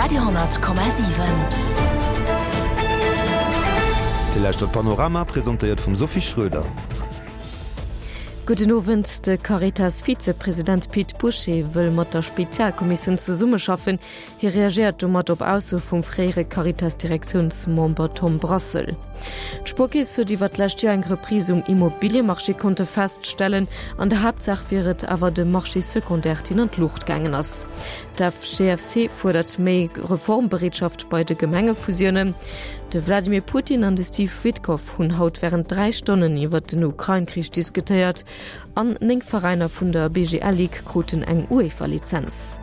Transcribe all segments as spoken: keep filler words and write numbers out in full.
Radio honnert Komma siwen. Dir lauschtert Panorama, presentéiert vum Sophie Schröder. Gudden Owend, De Caritas-Vizepresident Pit Bouché wëll mat der Spezialkommissioun zesummeschaffen. Hie reagéiert domat op Aussoe vum fréiere Caritas-Direktiounsmember Tom Brassel. D'Spuerkeess huet iwwer d'lescht Joer eng Reprise um Immobiliemarché konnte feststellen. An der Haaptsaach wier et awer de Marché secondaire, deen an d'Luucht gaangen ass. D'FGFC fuerdert méi Reformbereetschaft bei de Gemengefusiounen. De Wladimir Putin an de Steve Witkoff hunn haut wärend dräi Stonnen iwwer den Ukrain-Krich diskutéiert. An néng Veräiner vun der B G L Ligue kruten eng UEFA-Lizenz.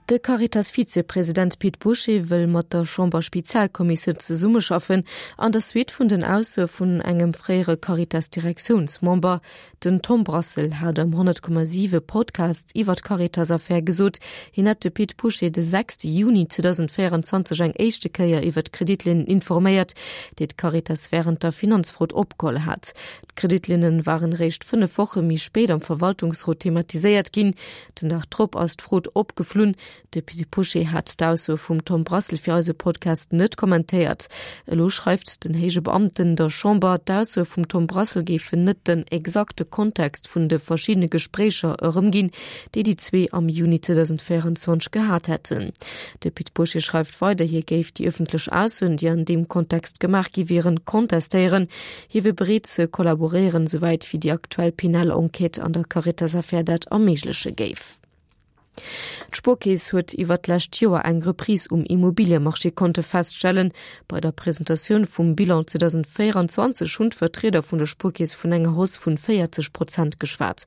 De Caritas-Vizepresident Pit Bouché wëll mat der Chamber-Spezialkommissioun zesummeschaffen, an der Suite vun den Aussoe vun engem fréiere Caritas-Direktiounsmember. Den Tom Brassel hat am honnert Komma siwe Podcast iwwer d'Caritas-Affär gesot, hien hätt de Pit Bouché de sechste Juni zweedausendvéieranzwanzeg eng éischte Kéier iwwer d'Kreditlinnen informéiert, déi d'Caritas wärend der Finanzfrot opgeholl hat. D'Kreditlinne waren eréischt fënnef Woche méi spéit am Verwaltungsrot thematiséiert ginn. Den Dag drop ass d'Frot opgeflunn. De Pit Bouché hat d'Ausso vum Tom Brassel fir eise Podcast net kommentéiert. Elo schreift den héije Beamten der Chamber, d'Ausso vum Tom Brassel géifen net den exakte Kontext vun de verschiddene Gespréicher erëmginn, déi déi zwee am Juni zweedausendvéieranzwanzeg gehat hätten. De Pit Bouché schreift weider, hie géif déi ëffentlech Aussoen, déi an deem Kontext gemaach gi wieren, kontestéieren. Hie wier bereet ze kollaboréieren, souwäit wéi déi aktuell penal Enquête an der Caritas-Affär dat erméigleche géif. D'Spuerkeess huet iwwer d'lescht Joer eng Reprise um Immobiliemarché konnte feststellen. Bei der Presentatioun vum Bilan zweedausendvéieranzwanzeg hunn d'Vertrieder vun der Spuerkeess vun enger Hausse vun véierzeg Prozent geschwat.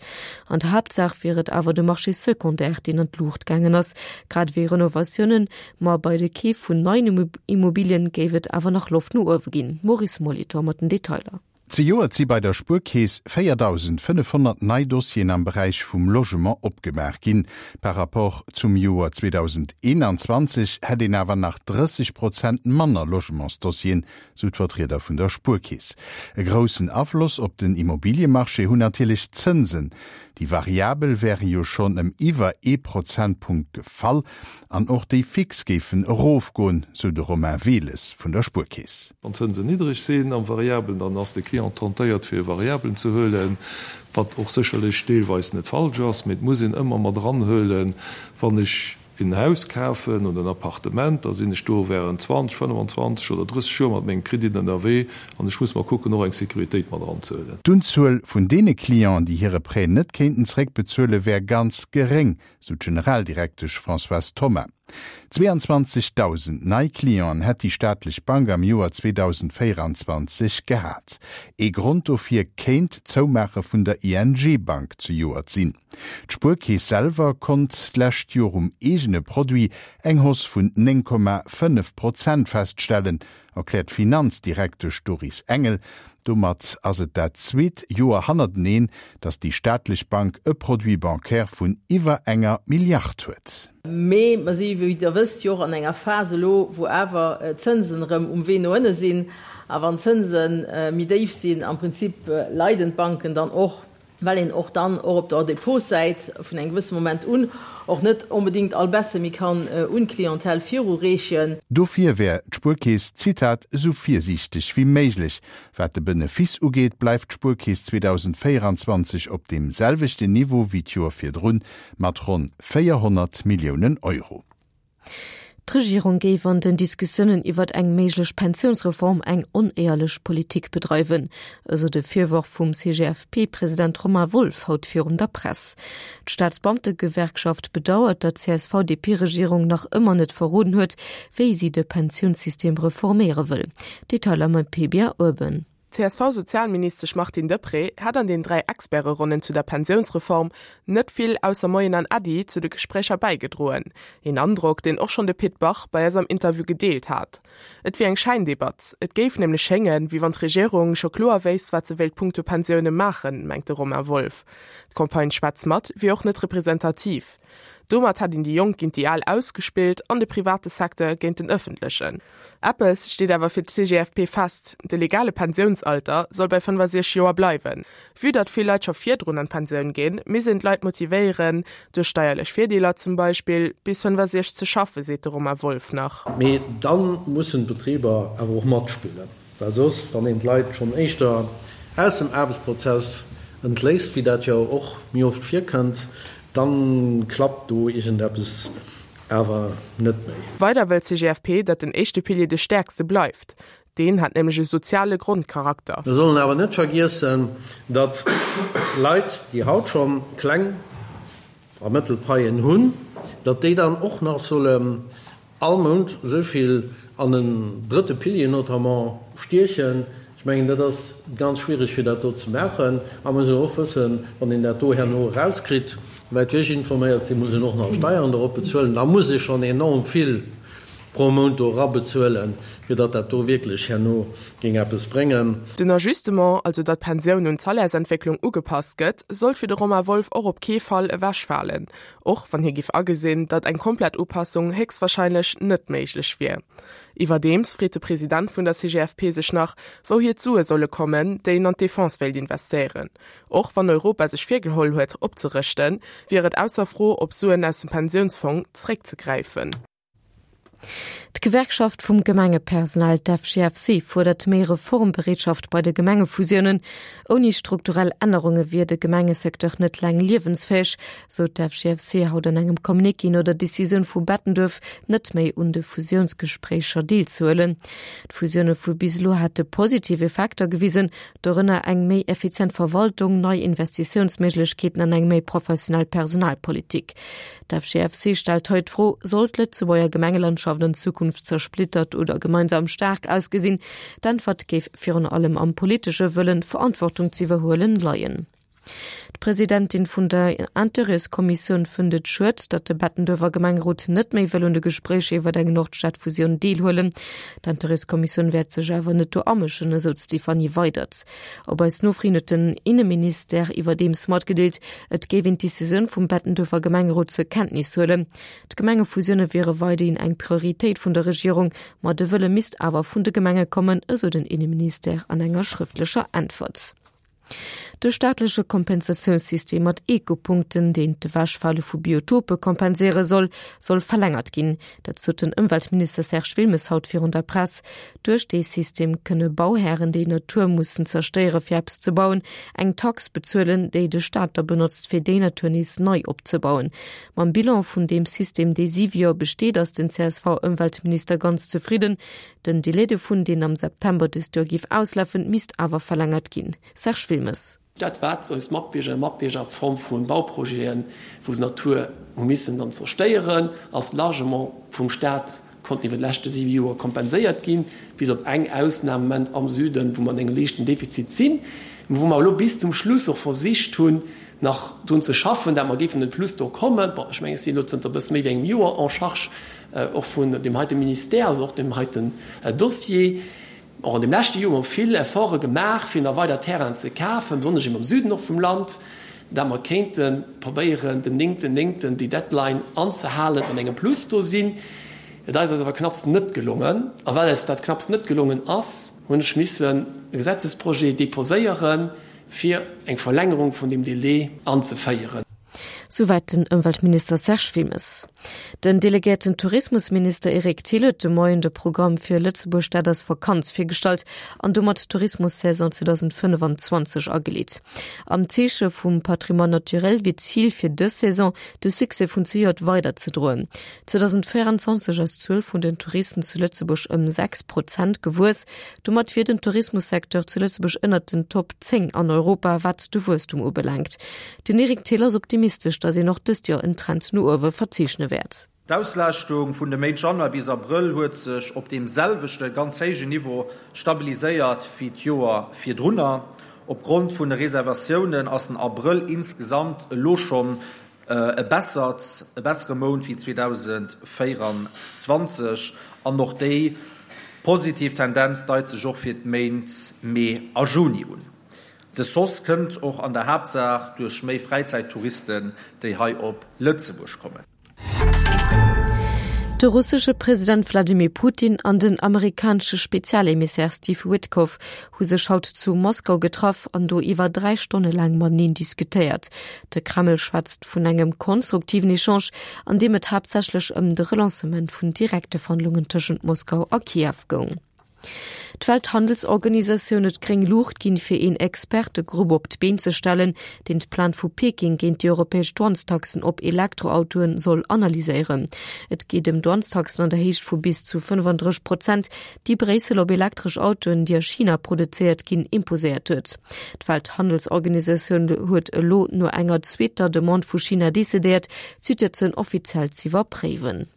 An der Haaptsaach wier et awer de Marché secondaire, deen an d'Luucht gaangen ass, grad ewéi Renovatiounen. Ma bei de Keef vun neien Immobilien géif et awer nach Loft no uewe ginn. Maurice Molitor mat den Detailer. Zejoert si bei der Spuerkeess véierdausendfënnefhonnert nei Dossieren am Beräich vum Logement opgemaach ginn. Par rapport zum Joer zweedausendeenanzwanzeg hätt een awer nach drësseg Prozent manner Logementsdossieren, sou d'Vertrieder vun der Spuerkeess. E groussen Afloss op den Immobiliemarché hunn natierlech d'Zënsen. Déi variabel wäre jo schonn ëm iwwer ee Prozentpunkt gefall an och déi fix géifen erofgoen, sou de Romain Wehles vun der Spuerkeess. Wann d'Zënsen niddreg sinn am Variabelen, dann ass de Client tentéiert fir e Variabelen ze huelen, wat och sécherlech deelweis net falsch ass, mee et muss een ëmmer mat eranhuelen, wann ech en Haus kafen oder en Appartement, da sinn ech do während zwanzeg, fënnefanzwanzeg oder drësseg Joer mat mengem Kredit ënnerwee an ech muss mer kucken, och eng Sécuritéit mat eranzehuelen. D'Unzuel vun deene Clienten, déi hire Prêt net kéinten zréckbezuelen, wär ganz geréng, sou d'Generaldirektesch Françoise Thoma. Zweeanzwanzegdausend nei Clienten hätt déi staatlech Bank am Joer zweedausendvéieranzwanzeg gehat. Ee Grond dofir kéint d'Zoumaache vun der I N G Bank zejoert sinn. D'Spuerkeess selwer konnt d'lescht Joer um eegene Produit eng Hausse vun néng Komma fënnef Prozent feststellen, erkläert Finanzdirektesch Doris Engel. Domat ass et dat zweet Joer hannerteneen, datt déi staatlech Bank e Produit bancaire vun iwwer enger Milliard huet. Mee mer si, wéi der wësst, jo och an enger Phase elo, wou awer d'Zënsen erëm um Wee no ënne sinn. A wann d'Zënse méi déif sinn, am Prinzip leiden d'Banken dann och, well een och dann och op der Depotsäit vun engem gewësse Moment un och net onbedingt all Baisse méi kann un d'Clientèle virureechen. Dofir wär d'Spuerkeess, Zitat, esou virsiichteg wéi méiglech. Wat de Benefice ugeet, bleift d'Spuerkeess zweedausendvéieranzwanzeg op deem selwechten Niveau wéi d'Joer virdrun, mat ronn véierhonnert Milliounen Euro. D'Regierung géif an den Diskussiounen iwwer eng méiglech Pensiounsreform eng onéierlech Politik bedreiwen, esou de Virworf vum C G F P-President Romain Wolff haut virun der Press. D'Staatsbeamtegewerkschaft bedauert, datt d'C S V D P-Regierung nach ëmmer net verroden huet, wéi si de Pensiounssystem reforméiere wëll. Detailer mat P B A Urban. C S V-Sozialministesch Martine Deprez hat an den dräi Experteronnen zu der Pensiounsreform net vill ausser Moien an Äddi zu de Gespréicher bäigedroen. Een Androck, deen och schonn de Pit Bach bei eis am Interview gedeelt hat. Et wier eng Scheindebatt. Et géif nämlech schéngen, wéi wann d'Regierung scho kloer wéisst, wat se wéilt punkto Pensioune maachen, mengt de Romain Wolff. D'Campagne Schwätz mat wier och net representativ. Domat hätt een déi Jonk géint déi Al ausgespillt an de private Secteur géint den ëffentlechen. Eppes steet awer fir d'CGFP fest, De legale Pensiounsalter soll bei fënnefasechzeg Joer bleiwen. Vue datt vill Leit scho virdrun an d'Pensioun ginn, misst een d'Leit motivéieren, duerch steierlech Virdeeler zum Beispill, bis fënnefasechzeg ze schaffen, seet de Romain Wolff nach. Mee da mussen d'Betriber awer och matspillen, well soss, wann een d'Leit schonn éischter aus dem Aarbechtsprozess entléisst, wéi dat jo och méi oft virkënnt, da klappt do iergendeppes awer net méi. Weider wëll d'CGFP, datt den éischte Pilier de stäerkste bleift. Deen hätt nämlech e soziale Grondcharakter. Mir sollen awer net vergiessen, datt Leit, déi haut scho kleng a mëttel Paien hunn, datt déi dann och nach sollen all Mount esou vill an en drëtte Pilier notamment stiechen. Ech mengen, dat ass ganz schwierig, fir dat do ze maachen. A mir mussen och wëssen, wann een dat do herno erauskritt, souwäit wéi ech informéiert sinn, muss een och nach Steieren dorop bezuelen. Da muss ee schonn enorm vill pro Mount do erabezuelen, fir datt dat do wierklech herno géing eppes bréngen. Den Ajustement, also datt d'Pensioun un d'Salairsentwécklung ugepasst gëtt, sollt fir de Romain Wolff och op kee Fall ewechfalen, och wann hie giff agesinn, datt eng komplett Upassung héchstwarscheinlech net méiglech wier. Iwwerdeems freet de President vun der C G F P sech nach, wouhier d'Sue solle kommen, déi een an d'Defense wéilt investéieren. Och wann Europa sech virgeholl huet, opzerëschten, wier et ausser Fro, op Suen aus dem Pensiounsfong zeréckzegräifen. D'Gewerkschaft vum Gemengepersonal, d'F G F C, fuerdert méi Reformbereetschaft bei de Gemengefusiounen. Ouni strukturell Ännerunge wier de Gemengesecteur net laang liewensfäeg, sou d'F G F C haut an engem Communiqué no der Decisioun vu Bettenduerf, net méi un de Fusiounsgespréicher deelzehuelen. D'Fusioune vu bis elo hätte positiv Effekter gewisen, dorënner eng méi effizient Verwaltung, nei Investitiounsméiglechkeeten an eng méi professionell Personalpolitik. D'F G F C stellt haut d'Fro, soll d'Lëtzebuerger Gemengelandschaft an Zukunft zersplittert oder gemeinsam staark ausgesinn? D'Äntwert géif virun allem am politesche Wëllen, Verantwortung ze iwwerhuelen, leien. D'Presidentin vun der Intérêtskommissioun fënnt et schued, datt de Bettenduerfer Gemengerot net méi wëll un de Gespréicher iwwer eng Nordstadfusioun deelhuelen. D'Intérêtskommissioun wäert sech awer net do amëschen, esou d'Stéphanie Weydert. Op eis Nofro hin huet den Inneministère iwwerdeems matgedeelt, et géif een d'Decisioun vum Bettenduerfer Gemengerot zur Kenntnis huelen. D'Gemengefusioune wiere weiderhin eng Prioritéit vun der Regierung, ma de Wëlle misst awer vun de Gemenge kommen, esou den Inneministère an enger schrëftlecher Äntwert. De staatleche Kompensatiounssystem mat Ekopunkten, deen d'Ewechfale vu Biotope kompenséiere soll, soll verlängert ginn. Dat sot den Ëmweltminister Serge Wilmes haut virun der Press. Duerch dee System kënne Bauhären, déi Natur mussen zerstéiere fir eppes ze bauen, eng Tax bezuelen, déi de Staat da benotzt fir déi Natur nees nei opzebauen. Mam Bilan vun deem System, dee siwe Joer besteet, ass den C S V-Ëmweltminister ganz zefridden. Den Delai dovun, deen am September dëst Joer géif auslafen, misst awer verlängert ginn. Serge Wilmes. Dat wat eis Matbierger a Matbierger a Form vu Bauprojeten, wou se Natur hu missen dann zerstéieren, ass largement vum Staat konnten iwwer d'leschte siwe Joer kompenséiert ginn, bis op eng Ausnam am Moment am Süden, wou mer an engem liichten Defizit sinn, mä wou mer elo bis zum Schluss och versicht hunn, nach drun ze schaffen, dat mer géifen en Plus do kommen. Bon, ech mengen, ech sinn elo zënter e bësse méi wéi engem Joer en charge och vun deem heite Ministère, also och deem heiten Dossier. Och an deem leschte Joer hu mer vill Efforte gemaach, fir nach weider Terrainen ze kafen, besonnesch eben am Süden och vum Land, dat mer kéinte probéieren, den néngten néngten déi Deadline anzehalen an engem Plus do sinn. Et ass eis awer knapps net gelongen. A well eis dat knapps net gelongen ass, hunn ech missen e Gesetzesprojet deposéieren, fir eng Verlängerung vun deem Délai anzeféieren. Souwäit den Ëmweltminister Serge Wilmes. Den delegéierten Tourismusminister Eric Thill huet de Moien de Programm fir Lëtzebuerg, dat ass Vakanz virgestallt an domat d'Tourismussaison zweedausendfënnefanzwanzeg ageleet. Am Zeeche vum Patrimoine naturel wier d'Zil fir dës Saison, de Succès vun zejoert weiderzedroen. zweedausendvéieranzwanzeg ass d'Zuel vun den Touristen zu Lëtzebuerg ëm sechs Prozent gewuess. Domat wier den Tourismussecteur zu Lëtzebuerg ënnert den Top zéng an Europa, wat de Wuesstum ubelaangt. Den Eric Thill ass optimistesch, datt een och dëst Joer en Trend no uewe verzeechne wäert. D'Auslaaschtung vun de Méint Januar bis Abrëll huet sech op deem selwechte ganz héijen Niveau stabiliséiert wéi d'Joer virdrunner. Opgrond vun de Reservatiounen ass den Abrëll insgesamt elo schonn e bessert, e bessere Mount wéi zweedausendvéieranzwanzeg an och déi positiv Tendenz deit sech och fir d'Méint Mee a Juni un. De Hausse kënnt och an der Haaptsaach duerch méi Fräizäittouristen, déi hei op Lëtzebuerg kommen. De russesche President Wladimir Putin an den amerikanesche Spezialemissär Steve Witkoff hu sech haut zu Moskau getraff an do iwwer dräi Stonne laang mateneen diskutéiert. De Kreml schwätzt vun engem konstruktiven Echange, an deem et haaptsächlech ëm de Relancement vun direkte Verhandlungen tëschent Moskau a Kiew goung. D'Welthandelsorganisatioun huet gréng Luucht ginn, fir een Expertegrupp op d'Been ze stellen, deen d'Plainte vu Peking géint déi europäesch Douanestaxen op Elektroautoen soll analyséieren. Et geet ëm Douanestaxen an der Héicht vu bis zu fënnefandrësseg Prozent, déi Bréissel op elektresch Autoen, déi a China produzéiert ginn, imposéiert huet. D'Welthandelsorganisatioun huet elo no enger zweeter Demande vu China decidéiert, d'Situatioun offiziell z'iwwerpréiwen.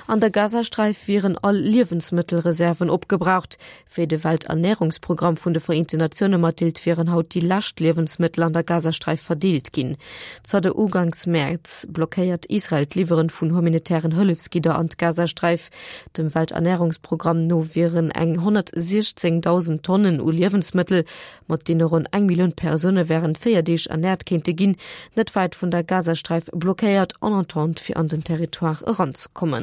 An der Gazasträif wieren all Liewensmëttelreserven opgebraucht. Wéi de Welternärungsprogramm vun de Vereenten Natioune matdeelt, wieren haut déi lescht Liewensmëttel an der Gazasträif verdeelt ginn. Zanter Uganks Mäerz blockéiert Israel d'Liwweren vun humanitären Hëllefsgidder an d'Gazasträif. Dem Welternärungsprogramm no wieren eng honnertsiechzéngdausend Tonnen u Liewensmëttel, mat deene ronn eng Millioun Persoune wärend véier Deeg ernäert kéinte ginn, net wäit vun der Gazasträif blockéiert, en attente fir an den Territoire eranzekommen.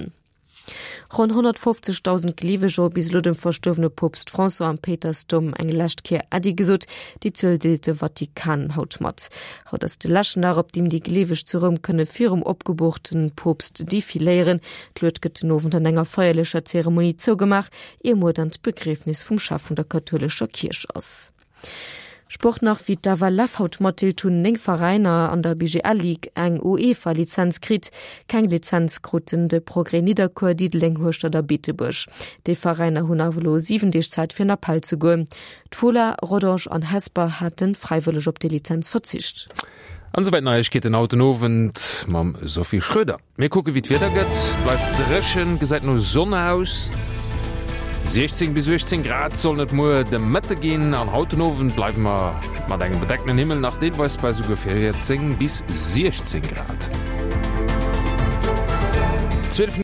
Ronn honnertfofzegdausend Gleeweger hu bis elo dem verstuerwene Poopst François am Péitersdoum eng lescht Kéier Äddi gesot. Déi Zuel deelt de Vatikan haut mat. Haut ass de leschten Dag, op deem déi Gleeweg zu Roum kënne virum opgeboorten Poopst defiléieren. D'Lued gëtt den Owend an enger feierlecher Zeremonie zougemaach, ier muer dann d'Begriefnis vum Chef vun der kathoulescher Kierch ass. Sport nach, Wéi d'FLF haut matdeelt, hunn néng Veräiner an der B G L Ligue eng UEFA-Lizenz kritt. Keng Lizenz kruten de Progrès Nidderkuer, Diddeleng, Hueschtert a Beetebuerg. Déi Veräiner hunn awer elo siwen Deeg Zäit fir an Appell ze goen. D'Fola, Rodange an Hesper hate fräiwëlleg op déi Lizenz verzicht. An esouwäit Neiegkeeten haut den Owend mam Sophie Schröder. Mir kucke wéi d'Wieder gëtt, bleift dréchen, gesäit no Sonn aus. siechzéng bis uechtzéng Grad sollen et muer de Mëtte ginn an haut den Owend bleiwe mer mat engem bedeckten Himmel nach deelweis bei esouguer véierzéng bis siechzéng Grad. zwielef.